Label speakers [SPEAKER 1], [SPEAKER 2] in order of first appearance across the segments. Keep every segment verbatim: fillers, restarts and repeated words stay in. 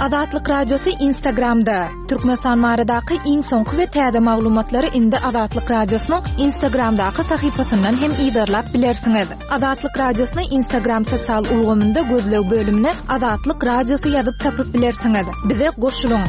[SPEAKER 1] Azatlyk Radiosy Instagramda. Türkmenistan baradaky iň soňky we täze maglumatlary indi Azatlyk Radiosynyň Instagramdaky sahypasyndan hem yzarlap bilersiňiz. Azatlyk Radiosyny Instagram sosial ulgamynda gözleg bölümine Azatlyk Radiosy ýazyp tapyp bilersiňiz. Bize goşulyň.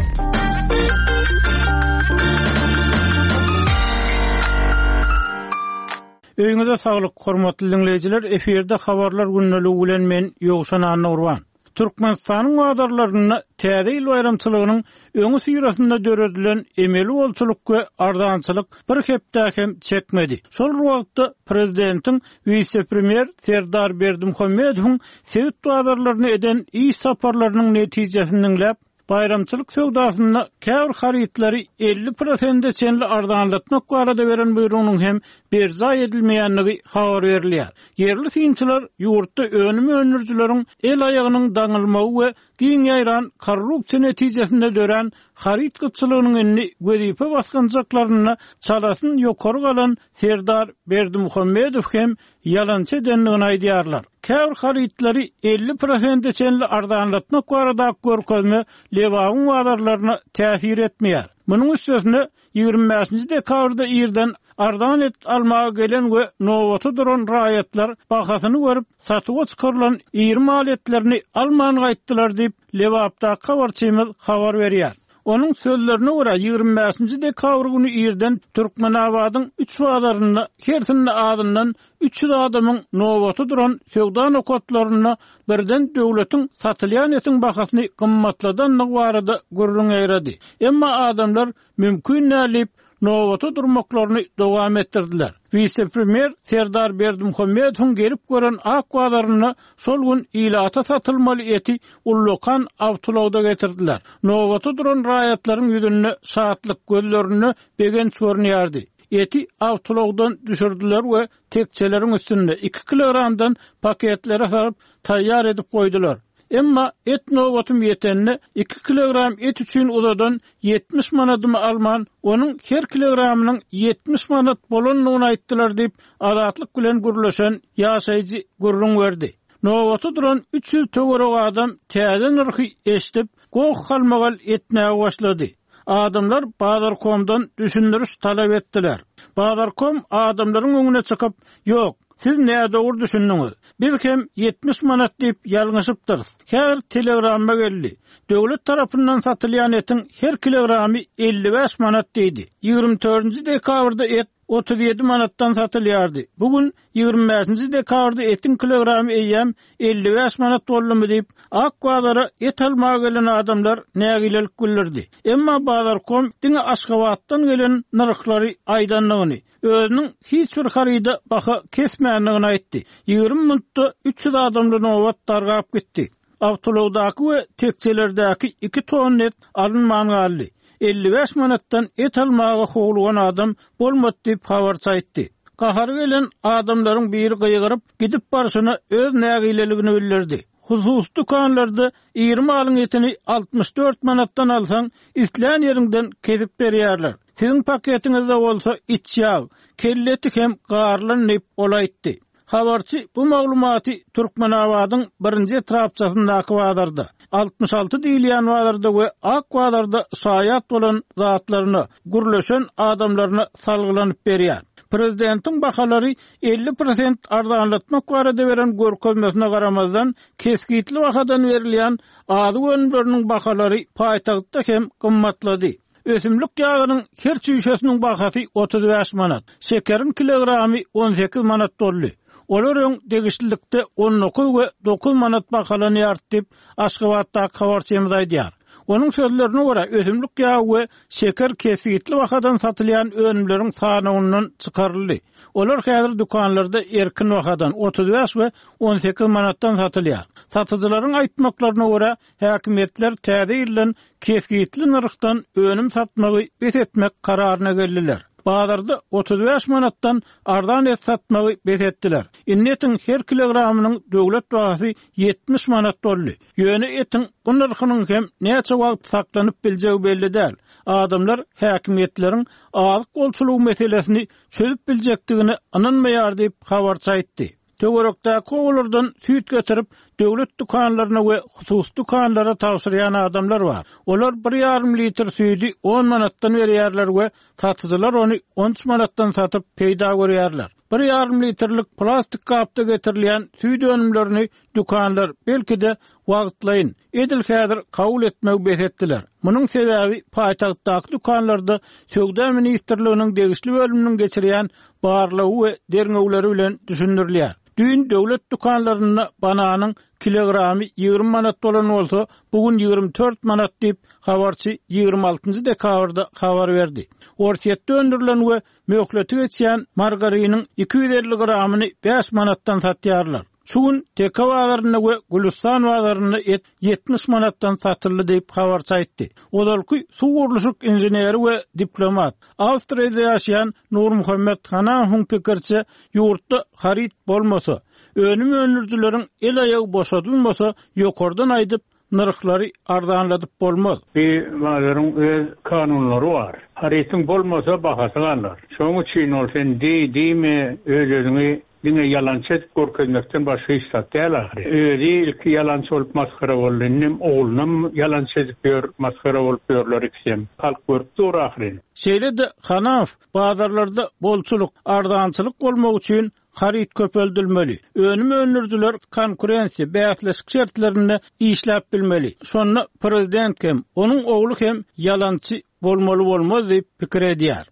[SPEAKER 2] Öýüňize saglyk, hormatly diňleýjiler, efirde habarlar gündeligi bilen men Ýowşan Annagurban. Türkmenistanyň bazarlarynda Täze ýyl baýramçylygynyň öňüsyrasynda döredilen emeli bolçulyk we arzançylyk bir hepdä hem çekmedi. Şol bir wagtda prezidentiň wise-premýer Serdar Berdimuhamedowyň sebit bazarlaryna eden iş saparlarynyň netijesini diňläp, Baýramçylyk söwdasynda käbir harytlary elli prosente çenli arzanlatmak barada beren buýrugynyň hem berjaý edilmeýändigi habar berilýär. Ýerli synçylar ýurtda önüm öndürijileriň el-aýagynyň daňylmagy we giň ýaýran korrupsiýa netijesinde dörän haryt gytçylygynyň indi wezipe basgançaklarynda çalasyn ýokary galan Serdar Berdimuhamedow hem ýalançy edendigini aýdýarlar. Käbir harytlary elli prosente çenli arzanlatmak baradaky görkezme Lebabyň bazarlaryna täsir etmeýär. Munuň üstesine, ýigrimi bäşinji dekabrda irden arzan et almaga gelen we nobata duran raýatlar bahasyny görüp, satuwa çykarylan iri mal etlerini alman gaýtdylar diýip, Lebapdaky habarçymyz habar berýär. Onuň sözlerine görä, ýigrimi bäşinji dekabr güni irden Türkmenabadyň üç bazarynda hersinde azyndan üç ýüz adamyň nobata duran söwda nokatlarynda birden döwletiň satylýan etiň bahasyny gymmatladandygy barada gürrüň ýaýrady. Emma adamlar mümkin däl diýip, nobata durmaklaryny dowam etdirdiler. Wise-premýer Serdar Berdimuhamedowyň gelip gören ak bazarynda şol gün ilata satylmaly eti ullakan awtoulagda getirdiler. Nobata duran raýatlaryň ýüzünde şatlyk, gözlerinde begenç görünýärdi. Eti awtoulagdan düşürdiler we tekjeleriň üstünde iki kilogramdan paketlere salyp, taýýar edip goýdular. Emma et nobatym ýetende, iki kilogram et üçin uzadan ýetmiş manadymy alman, onuň her kilogramynyň ýetmiş manat bolandygyny aýtdylar diýip, Azatlyk bilen gürleşen ýaşaýjy gürrüň berdi. Nobata duran üç ýüz töweregi adam täze nyrhy eşidip, goh-galmagal etmäge başlady. Adamlar Bazarkomdan düşündiriş talap etdiler. Bazarkom adamlaryň öňüne çykyp, Ýok, siz nädogry düşündiňiz. Biz hem ýetmiş manat diýip ýalňyşypdyrys. Häzir telegramma geldi. Döwlet tarapyndan satylýan etiň her kilogramy elli bäş manat diýdi. Ýigrimi dördünji dekabrda et otuz ýedi manatdan satylýardy. Bu gün ýigrimi bäşinji dekabrda etiň kilogramy eýýäm elli bäş manat boldumy diýip, ak bazara et almaga gelen adamlar nägilelik bildirdi. Emma Bazarkom diňe Aşgabatdan gelen nyrhlary aýdandygyny, özüniň hiç bir haryda baha kesmändigini aýtdy. Ýigrimi minutda üç ýüz adamly nobat dargap gitdi. Awtoulagdaky we tekjelerdäki iki tonna et alynman galdy. Elli bäş manatdan et almaga howlugan adam bolmady diýip, habarçy aýtdy. Gahary gelen adamlaryň biri gygyryp, gidip barşyna öz nägileligini bildirdi. Hususy dükanlarda iri malyň etini altmyş dört manatdan alsaň, islän ýeriňden kesip berýärler. Siziň paketiňizde bolsa iç ýag, kelle eti hem garylan diýip, ol aýtdy. Habarçy bu maglumaty Türkmenabadyň birinji etrapçasyndaky bazarda, altmyş alty diýilýän bazarda we ak bazarda şaýat bolan zatlaryna, gürleşen adamlaryna salgylanyp berýär. Prezidentiň bahalary elli prosent arzanlatmak barada beren görkezmesine garamazdan, kesgitli bahadan berilýän azyk önümleriniň bahalary paýtagtda hem gymmatlady. Ösümlik ýagynyň her çüýşesiniň bahasy otuz bäş manat, şekeriň kilogramy on sekiz manat boldy. Olar öň degişlilikde on dokuz we dokuz manat bahalanýardy diýip, Aşgabatdaky habarçymyz aýdýar. Onuň sözlerine görä, ösümlik ýagy we şeker kesgitli bahadan satylýan önümleriň sanawyndan çykaryldy. Olar häzir dükanlarda erkin bahadan, otuz bäş we on sekiz manatdan satylýar. Satyjylaryň aýtmaklaryna görä, häkimiýetler täze ýyldan kesgitli nyrhdan önüm satmagy bes etmek kararyna geldiler. Bazarda otuz bäş manatdan arzan et satmagy bes etdiler. Indi etiň her kilogramynyň döwlet bahasy ýetmiş manat boldy. Ýöne etiň bu nyrhynyň hem näçe wagt saklanyp biljegi belli däl. Adamlar häkimiýetleriň azyk bolçulygy meselesini çözüp biljekdigine ynanmaýar diýip, habarçy aýtdy. Töwerekdäki obalardan süýt getirip, döwlet dükanlaryna we hususy dükanlara tabşyrýan adamlar bar. Olar bir ýarym litr süýdi on manatdan berýärler we satyjylar ony on üç manatdan satyp peýda görýärler. Bir ýarym litrlik plastik gapda getirilýän süýt önümlerini dükanlar belki-de wagtlaýyn, edil häzir kabul etmegi bes etdiler. Munuň sebäbi paýtagtdaky dükanlarda Söwda ministrliginiň degişli bölüminiň geçirýän barlagy we derňewleri bilen düşündirilýär. Düýn döwlet dükanlarynda bananyň kilogramy ýigrimi manat bolan bolsa, bu gün ýigrimi dört manat diýip, habarçy ýigrimi altynjy dekabrda habar berdi. Orsýetde öndürilen we möhleti geçýän margariniň iki ýüz elli gramyny bäş manatdan satýarlar. Şu gün Teke bazarynda we Gülüstan bazarynda et ýetmiş manatdan satyldy diýip habarçy aýtdy. Ozalky suw gurluşyk inženeri we diplomat, Awstriýada ýaşaýan Nurmuhammet Hanahowyň pikiriçe, ýurtda haryt bolmasa, önüm öndürijileriň el aýagy boşadylmasa, ýokardan aýdyp nyrhlary arzanladyp bolmaz.
[SPEAKER 3] Bir bazaryň öz kanunlary bar. Harytyň bolmasa bahasy galar. Şonuň üçin ol sen diý, diýme, öz-özüňi diňe ýalançy edip görkezmekden başga hiç zat däl ahyry. Özi ilki ýalançy bolup masgara boldy, indem oglunam ýalançy edip ýör, masgara bolup ýörler ikisem. Halk görüp dur ahyry.
[SPEAKER 2] Şeýle-de Hanaw bazarlarda bolçulyk, arzançylyk bolmak üçin haryt köpeldilmeli. Önüm öndürijiler konkurensiýa, bäsleşik şertlerinde işläp bilmeli. Şonda prezident hem, onuň ogly hem ýalançy bolmaly bolmaz diýip pikir edýär.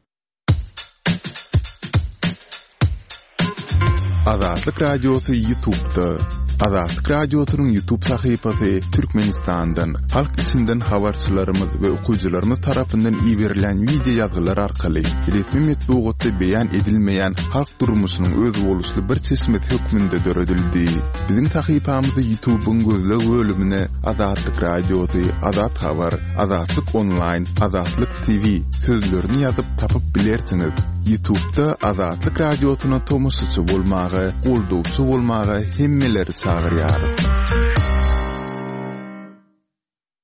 [SPEAKER 4] Azatlyk Radiosy YouTube'da. Azatlyk Radiosynyň YouTube sahypasy Türkmenistandan, halk içinden habarçylarymyz we okyjylarymyz tarapyndan iberilen video ýazgylar arkaly resmi metbugatda beýan edilmeýän halk durmuşynyň özboluşly bir çeşmesi hökmünde döredildi. Biziň sahypamyzy YouTube'yň gözleg bölümine Azatlyk Radiosy, Azat Habar, Azatlyk Online, Azatlyk T V sözlerini ýazyp tapyp bilersiňiz. YouTube'da Azatlyk Radiosyna tomaşaçy bolmaga, goldawçy bolmaga hemmeleri çagyrýarys.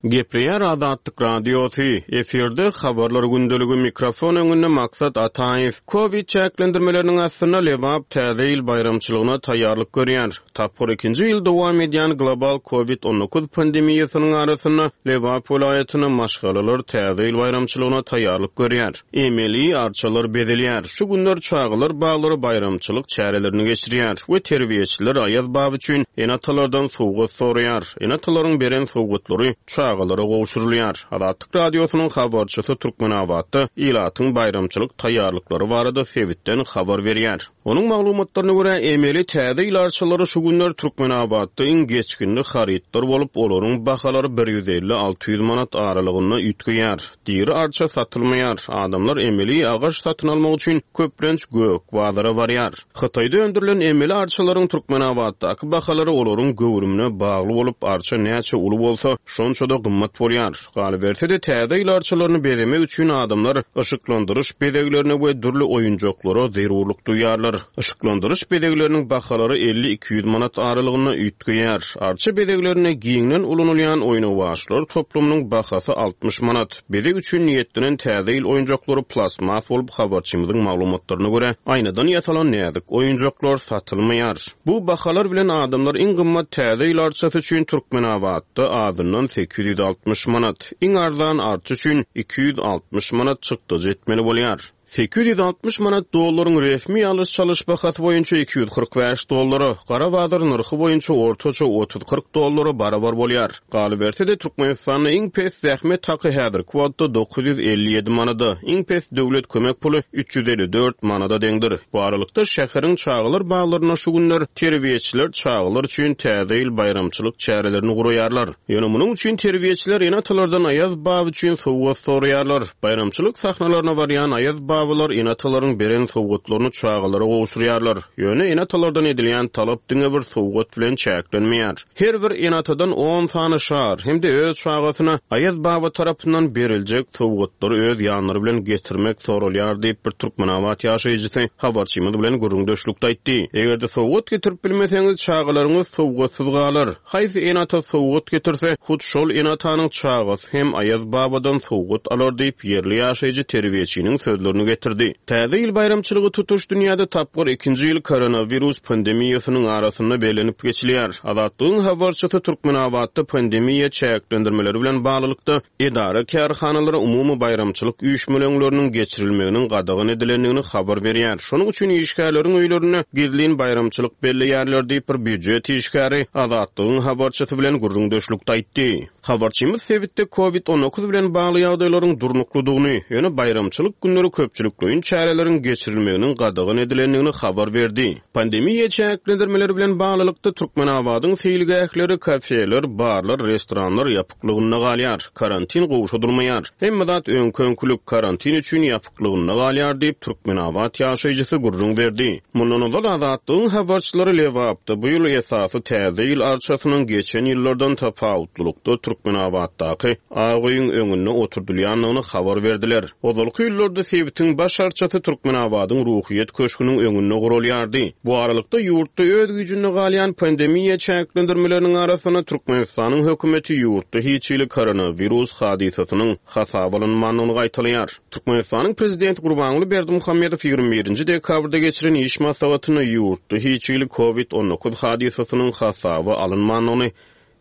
[SPEAKER 5] Gepleýär Azatlyk Radiosy, efirde habarlar gündeligi, mikrofon öňünde Maksat Ataýew. Covid çäklendirmeleriniň astynda Lebap täze ýyl baýramçylygyna taýýarlyk görýär. Tapgyr ikinji ýyl dowam edýän global Covid on dokuz pandemiýasynyň arasynda Lebap welaýatynda maşgalalar täze ýyl baýramçylygyna taýýarlyk görýär. Emeli arçalar bezelýär. Şu günler çagalar baglary baýramçylyk çärelerini geçirýär we terbiýeçiler Aýaz baba üçin ene-atalardan sowgat soraýar. Ene-atalaryň beren sowgatlary çagalara gowşurylýar. Azatlyk Radiosynyň habarçysy Türkmenabatda ilatyň baýramçylyk taýýarlyklary barada sebitden habar berýär. Onuň maglumatlaryna görä, emeli täze ýyl arçalary şu günler Türkmenabatda iň geçginli harytlar bolup, olaryň bahalary bir ýüz elli alty ýüz manat aralygynda üýtgeýär. Diri arça satylmaýar. Adamlar emeli agaç satyn almak üçin köplenç gök bazara barýar. Hytaýda öndürilen emeli arçalaryň Türkmenabatdaky bahalary olaryň göwrümine bagly bolup, arça näçe uly bolsa, şonça da gymmat bolýar. Galyberse-de täze ýyl arçalaryny bezemek üçin adamlar yşyklandyryş bezeglerine we dürli oýunjaklara zerurlyk duýarlar. Yşyklandyryş bezegleriniň bahalary elli iki ýüz manat aralygynda üýtgeýär. Arça bezeglerine giňden ulanylýan oýnawaçlar toplumynyň bahasy altmyş manat. Bezeg üçin niýetlenen täze ýyl oýunjaklary plastmas bolup, habarçymyzyň maglumatlaryna görä, aýnadan ýasalan näzik oýunjaklar satylmaýar. Bu bahalar bilen adamlar iň gymmat täze ýyl arçasy üçin Türkmenabatda azyndan sekiz ýüz altmyş manat, iň arzan arça üçin iki ýüz altmyş manat çykdajy etmeli bolýar. Sekiz ýüz altmyş manat dollaryň resmi alyş-çalyş bahasy boýunça iki ýüz kyrk bäş dollara, gara bazar nyrhy boýunça ortaça otuz kyrk dollara barabar bolýar. Galyberse-de Türkmenistanda iň pes zähmet haky häzirki wagtda dokuz ýüz elli ýedi manada, iň pes döwlet kömek puly üç ýüz elli dört manada deňdir. Bu aralykda şäheriň çagalar baglarynda şu günler terbiýeçiler çagalar üçin täze ýyl baýramçylyk çärelerini guraýarlar. Ýöne munuň üçin terbiýeçiler ene-atalardan Aýaz baba üçin sowgat soraýarlar. Baýramçylyk sahnalaryna barýan Aýaz babalar ene-atalaryň beren sowgatlaryny çagalara gowşurýarlar. Ýöne ene-atalardan edilýän talap diňe bir sowgat bilen çäklenmeýär. Her bir ene-atadan on sany şar hem-de öz çagasyna Aýaz baba tarapyndan beriljek sowgatlary öz ýanlary bilen getirmek soralýar diýip bir Türkmenabat ýaşaýjysy habarçymyz bilen gürrüňdeşlikde aýtdy. Eger-de sowgat getirip bilmeseňiz, çagalaryňyz sowgatsyz galar. Haýsy ene-ata sowgat getirse, hut şol ene-atanyň çagasy hem Aýaz babadan sowgat alar diýip ýerli ýaşaýjy terbiýeçiniň sözlerini getirdi. Täze ýyl baýramçylygy tutuş dünýäde tapgyr ikinji ýyl koronawirus pandemiýasynyň arasynda bellenip geçilýär. Azatlygyň habarçysy Türkmenabatda pandemiýa çäklendirmeleri bilen baglylykda edara kärhanalara umumy baýramçylyk üýşmeleňleriniň geçirilmeginiň gadagan edilendigini habar berýär. Şonuň üçin işgärleriň öýlerinde gizlin baýramçylyk belleýärler diýip bir býujet işgäri Azatlygyň habarçysy bilen gürrüňdeşlikde aýtdy. Habarçymyz sebitde Covid on dokuz bilen bagly ýagdaýlaryň durnuklydygyny, ýöne baýramçylyk günleri köpçülikleýin çäreleriň geçirilmeginiň gadagan edilendigini habar berdi. Pandemiýa çäklendirmeleri bilen baglylykda Türkmenabadyň seýilgähleri, kafeler, barlar, restoranlar ýapyklygynda galýar. Karantin gowşadylmaýar. Hemme zat öňkü-öňkülük karantin üçin ýapyklygynda galýar diýip Türkmenabat ýaşaýjysy gürrüň berdi. Mundan ozal Azatlygyň habarçylary Lebapda bu ýyl esasy täze ýyl arçasynyň geçen ýyllardan tapawutlylykda Türkmenabatdaky Ak öýüň öňünde oturdylýandygyny habar berdiler. Ozalky ýyllarda sebitiň baş arçasy Türkmenabadyň Ruhyýet köşgüniň öňünde gurulýardy. Bu aralykda ýurtda öz güýjünde galýan pandemiýa çäklendirmeleriniň arasynda Türkmenistanyň hökümeti ýurtda hiç hili koronawirus hadysasynyň hasaba alynmandygyny gaýtalaýar. Türkmenistanyň prezidenti Gurbanguly Berdimuhamedow ýigrimi birinji dekabrda geçiren iş maslahatynda ýurtda hiç hili Covid on dokuz hadysasynyň hasaba alynmandygyny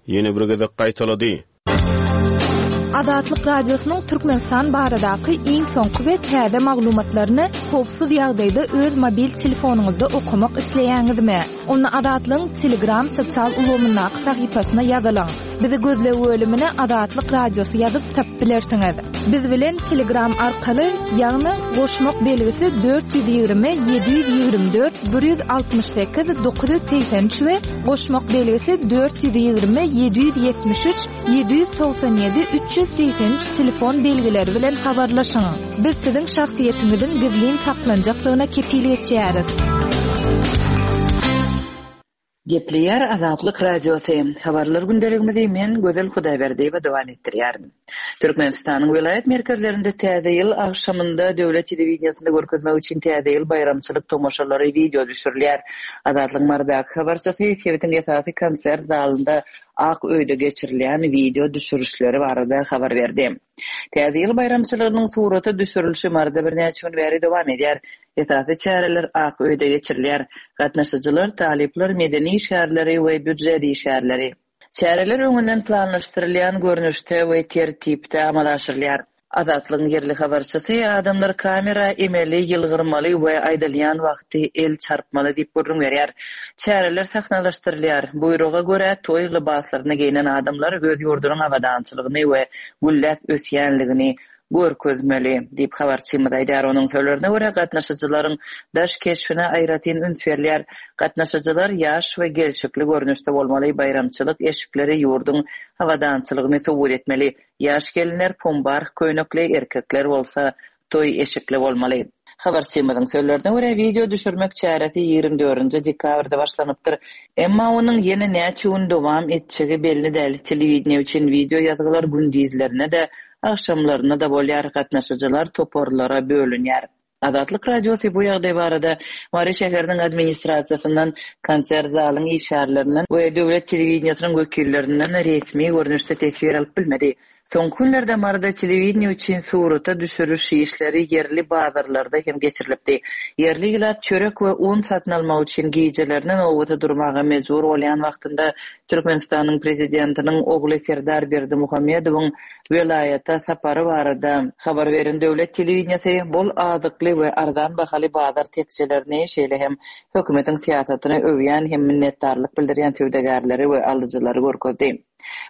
[SPEAKER 5] ýene bir gezek gaýtalady.
[SPEAKER 1] Azatlyk Radiosynyň Türkmenistan baradaky iň soňky we täze maglumatlaryny howpsuz ýagdaýda öz mobil telefonyňyzda okamak isleýäňizmi? Onda Azatlygyň Telegram sosial ulgamyndaky sahypasyna ýazylyň. Bizi gözleg bölümine Azatlyk Radiosy ýazyp tapyp bilersiňiz. Biz bilen Telegram arkaly, ýagny goşmak belgisi dört ýüz ýigrimi ýedi ýüz ýigrimi dört bir ýüz altmyş sekiz dokuz ýüz segsen üç we goşmak belgisi dört ýüz ýigrimi ýedi ýüz ýetmiş üç ýedi ýüz togsan ýedi üç ýüz segsen üç telefon belgileri bilen habarlaşyň. Biz siziň şahsyýetiňiziň gizlin saklanjakdygyna kepil geçýäris.
[SPEAKER 6] Gepleýär Azatlyk Radiosy. Habarlar gündeligimizi men Gözel Hudaýberdiýewa dowam etdirýärin. Türkmenistanyň welaýat merkezlerinde täze ýyl agşamynda döwlet telewideniýesinde görkezmek üçin täze ýyl baýramçylyk tomaşalary wideo düşürilýär. Azatlyk Mardaky habarçysy sebitiň esasy konsert zalynda Ak öýde geçirilýän wideo düşürişleri barada habar berdi. Täze ýyl baýramçylygynyň surata düşürilişi Marda birnäçe gün bäri dowam edýär. Esasy çäreler Ak öýde geçirilýär. Gatnaşyjylar, talyplar, medeni işgärleri we býujet işgärleri. Çäreler öňünden planlaşdyrylýan görnüşde we tertipde amala aşyrylýar. Azatlygyň ýerli habarçysy adamlar kamera emeli ýylgyrmaly we aýdylýan wagty el çarpmaly diýip gürrüň berýär. Çäreler sahnalaşdyrylýar. Buýruga görä toý lybaslaryny geýnen adamlar öz ýurdunyň abadançylygyny we gülläp ösýänligini görkezmeli diýip habarçymyz aýdýar. Onuň sözlerine görä gatnaşyjylaryň daş keşbine aýratyn üns berilýär. Gatnaşyjylar ýaş we gelşikli görnüşde bolmaly, baýramçylyk eşikleri ýurduň abadançylygyny subut etmeli. Ýaş gelinler pombar köýnekli, erkekler bolsa toý eşikli bolmaly. Habarçymyzyň sözlerine görä wideo düşürmek çäresi ýigrimi dördünji dekabrda başlanypdyr. Emma onuň ýene näçe gün dowam etjegi belli däl. Telewideniýe üçin wideo ýazgylar gündizlerine de, agşamlaryna da bolýar. Gatnaşyjylar toparlara bölünýär. Azatlyk Radiosy bu ýagdaý barada Mary şäheriniň administrasiýasyndan, konsert zalyň işgärlerinden we döwlet telewideniýesiniň wekillerinden resmi görnüşde teswir alyp bilmedi. Soňky günlerde Maryda telewideniýe üçin surata düşüriş işleri ýerli bazarlarda hem geçirilipdi. Ýerli ilat çörek we un satyn almak üçin gijelerine nowbata durmaga mejbur bolýan wagtynda Türkmenistanyň prezidentiniň ogly Serdar Berdimuhamedowyň welaýata sapary barada habar beren döwlet telewideniýesi bol azykly we arzan bahaly bazar tekjelerini, şeýle hem hökümetiň syýasatyny öwýän hem minnetdarlyk bildirýän söwdagärleri we alyjylary görkezdi.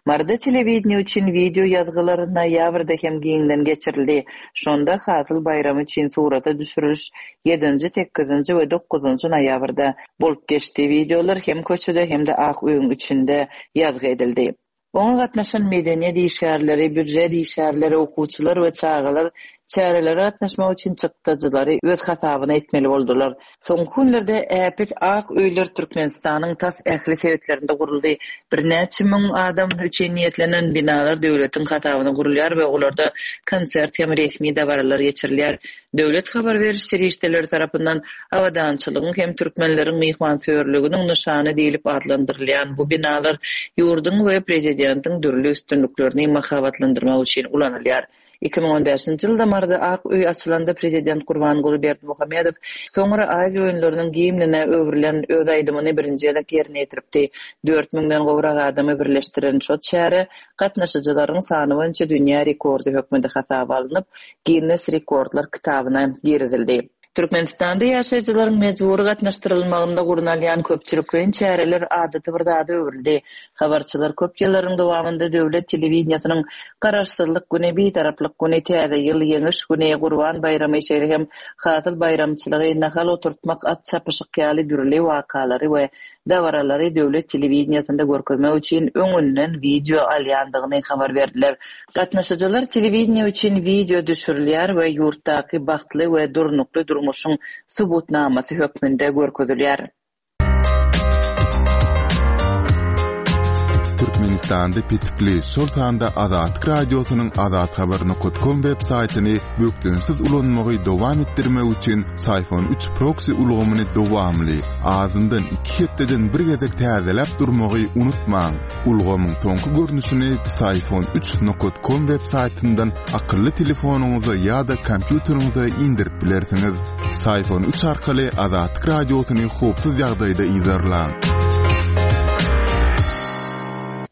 [SPEAKER 6] Maryda telewideniýe üçin wideo ýazgylar noýabrda hem giňden geçirildi. Şonda Hasyl baýramy üçin surata düşüriliş ýedinji, sekizinji we dokuzynjy noýabrda bolup geçdi. Wideolar hem köçede hem de Ak öýüň içinde ýazgy edildi. Oňa gatnaşan medeniýet işgärleri, býujet işgärleri, okuwçylar we çagalar çärelere gatnaşmak üçin çykdajylary öz hasabyna etmeli boldular. Soňky günlerde äpet ak öýler Türkmenistanyň tas ähli sebitlerinde guruldy. Birnäçe müň adam üçin niýetlenen binalar döwletiň hasabyna gurulýar we olarda konsert hem resmi dabaralar geçirilýär. Döwlet habar beriş serişdeleri tarapyndan abadançylygyň hem türkmenleriň myhmansöýerliginiň nyşany diýlip adlandyrylýan bu binalar ýurduň we prezidentiň dürli üstünliklerini mahabatlandyrmak üçin ulanylýar. Iki müň on bäşinji ýylda Maryda Ak öý açylanda prezident Gurbanguly Berdimuhamedow soňra Aziýa oýunlarynyň gimnine öwrülen öz aýdymyny birinji gezek ýerine ýetiripdi. Dört müňden gowrak adamy birleşdiren şo çäre gatnaşyjylaryň sany boýunça dünýä rekordy hökmünde hasaba alnyp, Ginnes rekordlar kitabyna girizildi. Türkmenistanda ýaşaýjylaryň mejbury gatnaşdyrylmagynda gurnalýan köpçülikleýin çäreler adaty bir zada öwrüldi. Habarçylar köp ýyllaryň dowamynda döwlet telewideniýesiniň Garaşsyzlyk güni, Bitaraplyk güni, Täze ýyl, Ýeňiş güni, Gurban baýramy, şeýle hem Hasyl baýramçylygy, nahal oturtmak, at çapyşyk ýaly dürli wakalary we dabaralary döwlet telewideniýesinde görkezmek üçin öňünden wideo alýandygyny habar berdiler. Gatnaşyjylar telewideniýe üçin wideo düşürilýär we ýurtdaky bagtly we durnukly durmuşyň subutnamasy hökmünde görkezilýär.
[SPEAKER 4] Türkmenistanda petikli, şol sanda Azatlyk Radiosynyň azathabar nokat kom web saýtyny bökdençsiz ulanmagy dowam etdirmek üçin Syfon üç proksi ulgamyny dowamly, azyndan iki hepdeden bir gezek täzeläp durmagy unutmaň. Ulgamyň soňky görnüşini Syfon üç nokat kom web saýtyndan akylly telefonyňyza ýa-da kompýuteriňize indirip bilersiňiz. Syfon üç arkaly Azatlyk Radiosyny howpsuz ýagdaýda yzarlaň.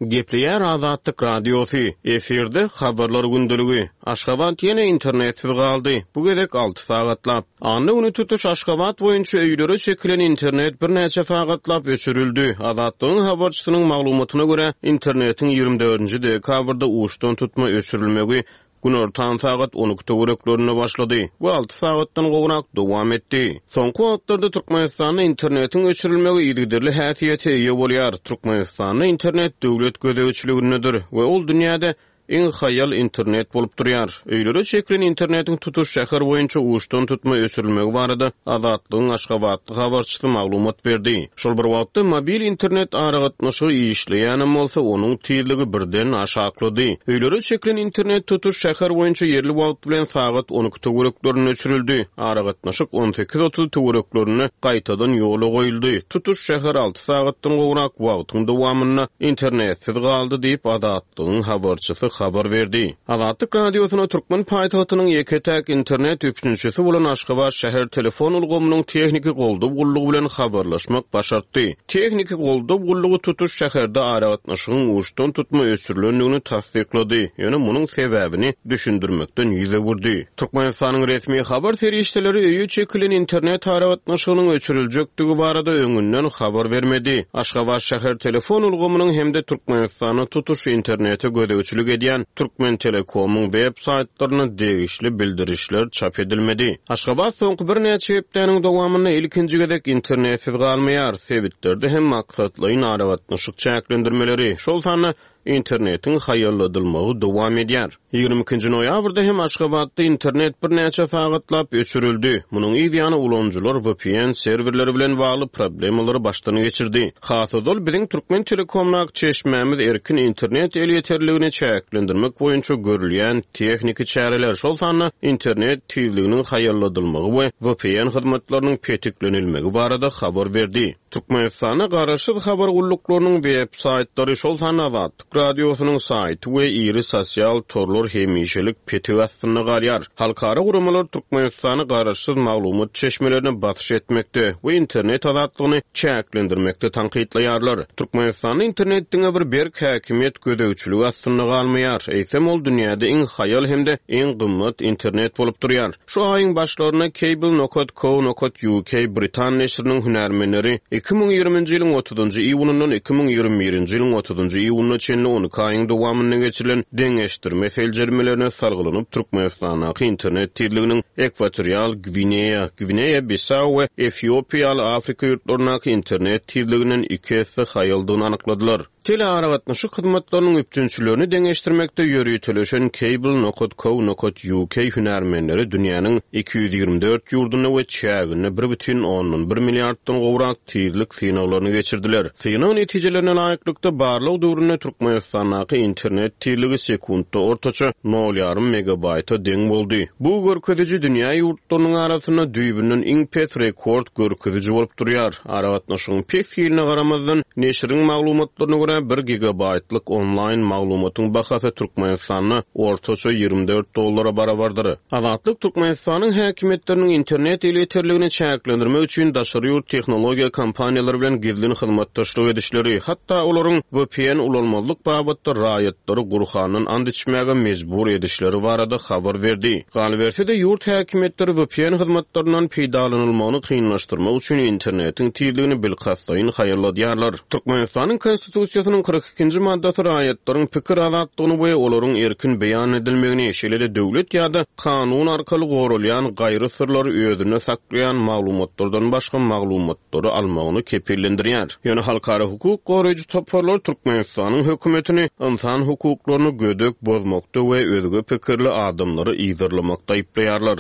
[SPEAKER 5] Gepleýär Azatlyk Radiosy, efirde habarlar gündeligi. Aşgabat ýene internetsiz galdy. Bu gezek alty sagatlap. Anna güni tutuş Aşgabat boýunça öýlere çekilen internet birnäçe sagatlap öçürildi. Azatlygyň habarçysynyň maglumatyna görä, internetiň ýigrimi dördünji dekabrda uçdan tutma öçürilmegi günortan sagat on iki töwereklerinde başlady we alty sagatdan gowrak dowam etdi. Soňky wagtlarda Türkmenistanda internetiň öçürilmegi yzygiderli häsiýete eýe bolýar. Türkmenistanda internet döwlet gözegçiligindedir we ol dünýäde iň haýal internet bolup durýar. Öýlere çekilen internetiň tutuş şäher boýunça uçdan tutma öçürilmegi barada Azatlygyň Aşgabatly habarçysy maglumat berdi. Şol bir wagtda mobil internet aragatnaşygy işleýänem bolsa, onuň tizligi birden aşaklady. Öýlere çekilen internet tutuş şäher boýunça ýerli wagt bilen sagat on iki töwereklerinde öçürildi. Aragatnaşyk on sekiz otuz töwereklerinde gaýtadan ýola goýuldy. Tutuş şäher alty sagatdan gowrak wagtyň dowamynda internetsiz galdy diýip Azatlygyň habarçysy habar berdi. Azatlyk Radiosyna Türkmen paýtagtynyň ýeke-täk internet üpjünçisi bolan Aşgabat şäher telefon ulgamynyň tehniki goldaw gullugy bilen habarlaşmak başartdy. Tehniki goldaw gullugy tutuş şäherde aragatnaşygyň uçdan tutma öçürilendigini tassyklady. Ýöne munuň sebäbini düşündirmekden ýüz öwürdi. Türkmenistanyň resmi habar serişdeleri öýe çekilen internet aragatnaşygynyň öçüriljekdigi barada öňünden habar bermedi. Aşgabat şäher telefon ulgamynyň hem-de Türkmenistanyň tutuş internete gözegçilik edýän Türkmen Telekomyň web saýtlaryna degişli bildirişler çap edilmedi. Aşgabat soňky birnäçe hepdäniň dowamynda ilkinji gezek internetsiz galmaýar. Sebitlerde hem maksatlaýyn aragatnaşyk çäklendirmeleri, şol sanda internetiň haýalladylmagy dowam edýär. Ýigrimi ikinji noýabrda hem Aşgabatda internet birnäçe sagatlap öçürildi. Munuň yz ýany ulanyjylar V P N serwerleri bilen bagly problemalary başdan geçirdi. Has ozal biziň Türkmen Telekomnak çeşmämiz erkin internet elýeterligini çäklendirmek boýunça görülýän tehniki çäreler, şol sanda internet tizliginiň haýalladylmagy we V P N hyzmatlarynyň petiklenilmegi barada habar berdi. Türkmenistanda garaşsyz habar gulluklarynyň web saýtlary, şol sanda Azatlyk Radiosynyň saýty we iri sosial torlar hemişelik petik astynda galýar. Halkara guramalar Türkmenistany garaşsyz maglumat çeşmelerine basyş etmekde we internet azatlygyny çäklendirmekde tankytlaýarlar. Türkmenistanda internet diňe bir berk häkimiýet gözegçiligi astynda galmaýar. Eýsem ol dünýäde iň haýal hem-de iň gymmat internet bolup durýar. Şu aýyň başlarynda Cable nokat co nokat U K Britan neşiriniň hünärmenleri iki müň ýigriminji ýylyň otuzynjy iýunyndan iki müň ýigrimi birinji ýylyň otuzynjy iýunyna çenli on iki aýyň dowamynda geçirilen deňeşdirme seljermelerine salgylanyp Türkmenistandaky internet tizliginiň Ekwatorial Gwineýa, Gwineýa-Bissau we Efiopiýa ýaly Afrika ýurtlaryndaky internet tizliginden iki esse haýaldygyny anykladylar. Telearagatnaşyk hyzmatlarynyň üpjünçilerini deňeşdirmekde ýöriteleşen Cable nokat co nokat U K hünärmenleri dünýäniň iki ýüz ýigrimi dört ýurdunda we çäginde bir bütin ondan bir milliarddan gowrak tizlik synaglaryny geçirdiler. Synag netijelerine laýyklykda barlag döwründe Türkmenistan Türkmenistandaky internet tizligi sekuntda ortaça nol ýarym megabaýta deň boldy. Bu görkeziji dünýä ýurtlarynyň arasynda düýbünden iň pes rekord görkeziji bolup durýar. Aragatnaşygyň pes hiline garamazdan, neşiriň maglumatlaryna görä bir gigabaýtlyk onlaýn maglumatyň bahasy Türkmenistanda ortaça ýigrimi dört dollara barabardyr. Azatlyk Türkmenistanyň häkimiýetleriniň internet elýeterligini çäklendirmek üçin daşary ýurt tehnologiýa kompaniýalary bilen gizlin hyzmatdaşlyk edişleri, hatda olaryň V P N ulanmazlyk babatda raýatlary Gurhandan and içmäge mejbur edişleri barada habar berdi. Galyberse-de ýurt häkimiýetleri V P N hyzmatlaryndan peýdalanylmagyny kynlaşdyrmak üçin internetiň tizligini bilkastlaýyn haýyrladýarlar. Türkmenistanyň Konstitusiýasynyň kyrk ikinji maddasy raýatlaryň pikir azatlygyny we olaryň erkin beýan edilmegini, şeýle-de döwlet ýa-da kanun arkaly goralýan gaýry syrlary özünde saklaýan maglumatlardan başga maglumatlary almagyny kepillendirýär. Ýöne halkara hukuk goraýjy toparlar Türkmenistanyň hökümetini insan hukuklaryny gödek bozmakda we özge pikirli adamlary yzarlamakda aýyplaýarlar.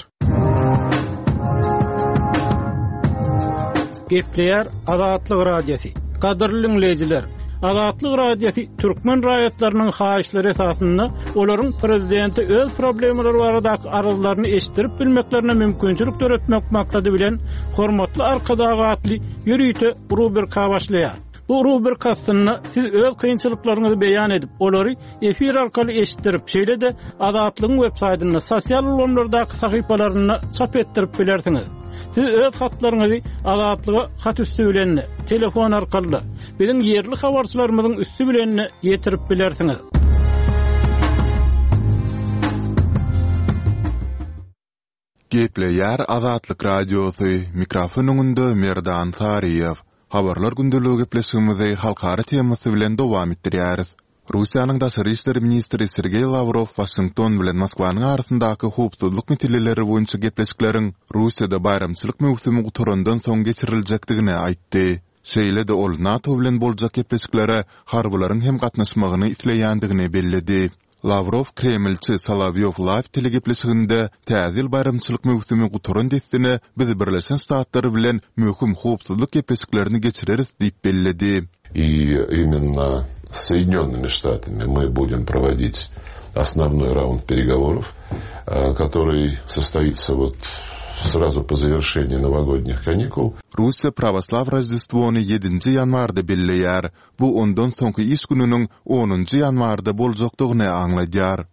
[SPEAKER 2] Gepleýär Azatlyk Radiosy. Gadyrly dinleýjiler, Azatlyk Radiosy türkmen raýatlarynyň haýyşlary esasynda olaryň prezidenti öz problemalary baradaky arzlaryny eşitdirip bilmeklerine mümkinçilik döretmek maksady bilen Hormatly Arkadag atly ýörite rubrika başlaýar. Bu rubrika aslynda siz öz kynçylyklaryňyzy beýan edip, olary efir arkaly eşitdirip, şeýle-de Azatlygyň web saýtynda, sosial ulgamlardaky sahypalarynda çap etdirip bilersiňiz. Siz öz hatlaryňyzy Azatlyga hat üstü bilen, telefon arkaly, biziň ýerli habarçylarymyzyň üstü bilen ýetirip bilersiňiz.
[SPEAKER 4] Gepleýär Azatlyk Radiosy, mikrofon öňünde Merdan Saryýew. Habarlar gündeligi gepleşigimizi halkara temasy bilen dowam etdirýäris. Russiýanyň daşary işler ministri Sergeý Lawrow Waşington bilen Moskwanyň arasyndaky howpsuzlyk meseleleri boýunça gepleşikleriň Russiýada baýramçylyk möwsümi gutarandan soň geçiriljekdigini aýtdy. Şeýle-de ol NATO bilen boljak gepleşiklere harbylaryň hem gatnaşmagyny isleýändigini belledi. Lawrow Kremlçi Solowýow Live telegepleşiginde täze ýyl baýramçylyk möwsümi gutaran dessine biz Birleşen Ştatlar bilen möhüm howpsuzlyk gepleşiklerini geçireris diýip belledi.
[SPEAKER 7] И именно с Соединенными Штатами мы будем проводить основной раунд переговоров, который состоится вот сразу по завершении новогодних каникул.
[SPEAKER 4] Russiýa Pravoslav Roždestvony ýedinji ýanwarda belleýär. Bu ondan soňky iş gününiň onunjy ýanwarda boljakdygyny aňladýar.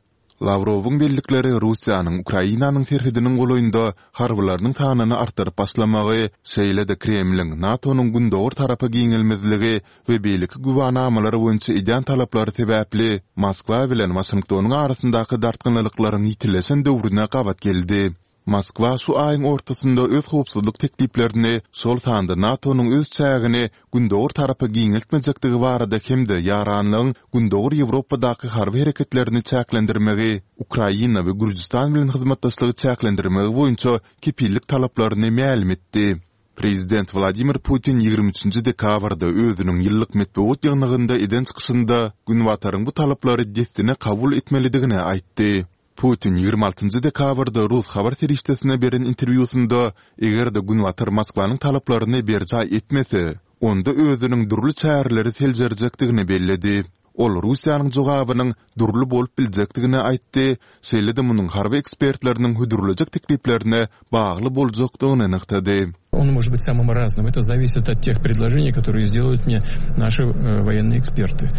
[SPEAKER 4] Lawrowyň bellikleri Russiýanyň Ukrainanyň serhediniň golaýynda harbylarynyň sanyny artdyryp başlamagy, şeýle-de Kremliň NATO-nyň gündogar tarapa giňelmezligi we beýleki güwänamalar boýunça edýän talaplary sebäpli Moskwa bilen Waşingtonyň arasyndaky dartgynlyklaryň ýitileşen döwrüne gabat geldi. Moskwa şu aýyň ortasynda öz howpsuzlyk tekliplerini, şol sanda NATO-nyň öz çägini gündogar tarapa giňeltmejekdigi barada hem-de ýaranlygyň gündogar Ýewropadaky harby hereketlerini çäklendirmegi, Ukraina we Gürjüstan bilen hyzmatdaşlygy çäklendirmegi boýunça kepillik talaplaryny mälim etdi. Prezident Wladimir Putin ýigrimi üçünji dekabrda özüniň ýyllyk metbugat ýygnagynda eden çykyşynda Günbataryň bu talaplary dessine kabul etmelidigini aýtdy. Putin ýigrimi altynjy dekabrda Rus habar serişdesine beren interwýusynda eger-de Günbatar Moskwanyň talaplaryny berjaý etmese, onda özüniň dürli çäreleri seljerjekdigini belledi. Ol Russiýanyň jogabynyň dürli bolup biljekdigini aýtdy, şeýle-de munuň harby ekspertleriniň hödürlejek tekliplerine bagly boljakdygyny nygtady.
[SPEAKER 8] Он может быть самым разным. Это зависит от тех предложений, которые сделают мне наши, э, военные эксперты.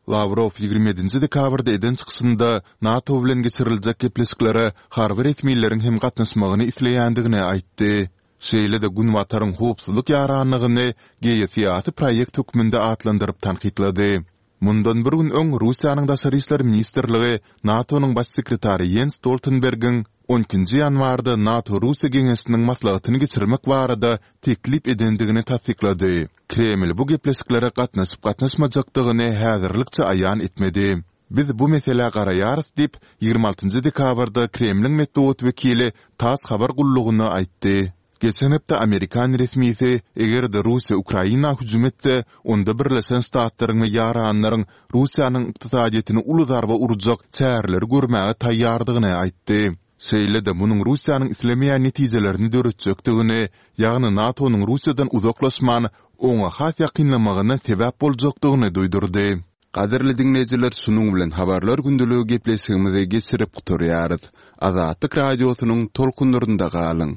[SPEAKER 4] Lavrov ýigrimi ýedinji dekabrda eden çykyşynda NATO bilen geçiriljek gepleşiklere harby resmileriň hem gatnaşmagyny isleýändigini aýtdy. Şeýle-de Günbataryň howpsuzlyk ýaranlygyny geosyýasy proýekt hökmünde atlandyryp tankytlady. Mundan bir gün öň Russiýanyň Daşary işler ministrligi NATO-nyň baş sekretary Jens Stoltenbergiň on ikinji ýanwarda NATO-Russiýa geňeşiniň maslahatyny geçirmek barada teklip edendigini tassyklady. Kreml bu gepleşiklere gatnaşyp gatnaşmajakdygyny häzirlikçe aýan etmedi. Biz bu meselä garaýarys diýip, ýigrimi altynjy dekabrda Kremliň metbugat wekili TASS habar gullugyna aýtdy. Geçen hepde Amerikan resmisi eger-de Russiýa Ukraina hüjüm etse, onda Birleşen Ştatlaryň we ýaranlaryň Russiýanyň ykdysadyýetini uly zarba urjak çäreleri görmäge taýýardygyny aýtdy. Şeýle-de munuň Russiýanyň islemeýän netijelerini döretjekdigini, ýagny NATO-nyň Russiýadan uzaklaşman, oňa has ýakynlamagyna sebäp boljakdygyny duýdurdy. Gadyrly diňleýjiler şunuň bilen Habarlar gündeligi gepleşigimizi geçirip gutarýarys. Azatlyk Radiosynyň tolkunlarynda galyň!